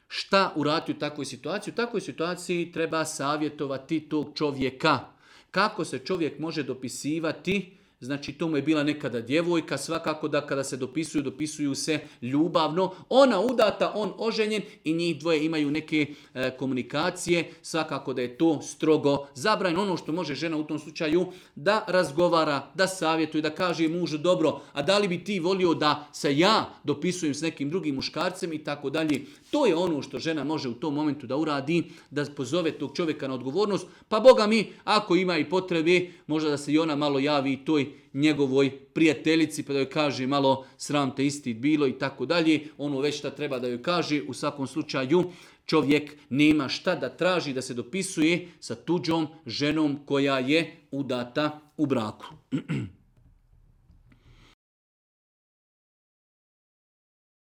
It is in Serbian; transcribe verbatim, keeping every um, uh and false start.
Šta uraditi u takvoj situaciji? U takvoj situaciji treba savjetovati tog čovjeka. Kako se čovjek može dopisivati? Znači, to mu je bila nekada djevojka, svakako da kada se dopisuju, dopisuju se ljubavno. Ona udata, on oženjen i njih dvoje imaju neke e, komunikacije. Svakako da je to strogo zabranjeno. Ono što može žena u tom slučaju da razgovara, da savjetuje, da kaže mužu dobro, a da li bi ti volio da se ja dopisujem s nekim drugim muškarcem i tako dalje. To je ono što žena može u tom momentu da uradi, da pozove tog čovjeka na odgovornost. Pa Boga mi, ako ima i potrebe, možda da se i ona malo javi i toj njegovoj prijateljici pa da joj kaže malo sram te isti bilo i tako dalje. Ono već šta treba da joj kaže. U svakom slučaju čovjek nema šta da traži da se dopisuje sa tuđom ženom koja je udata u braku.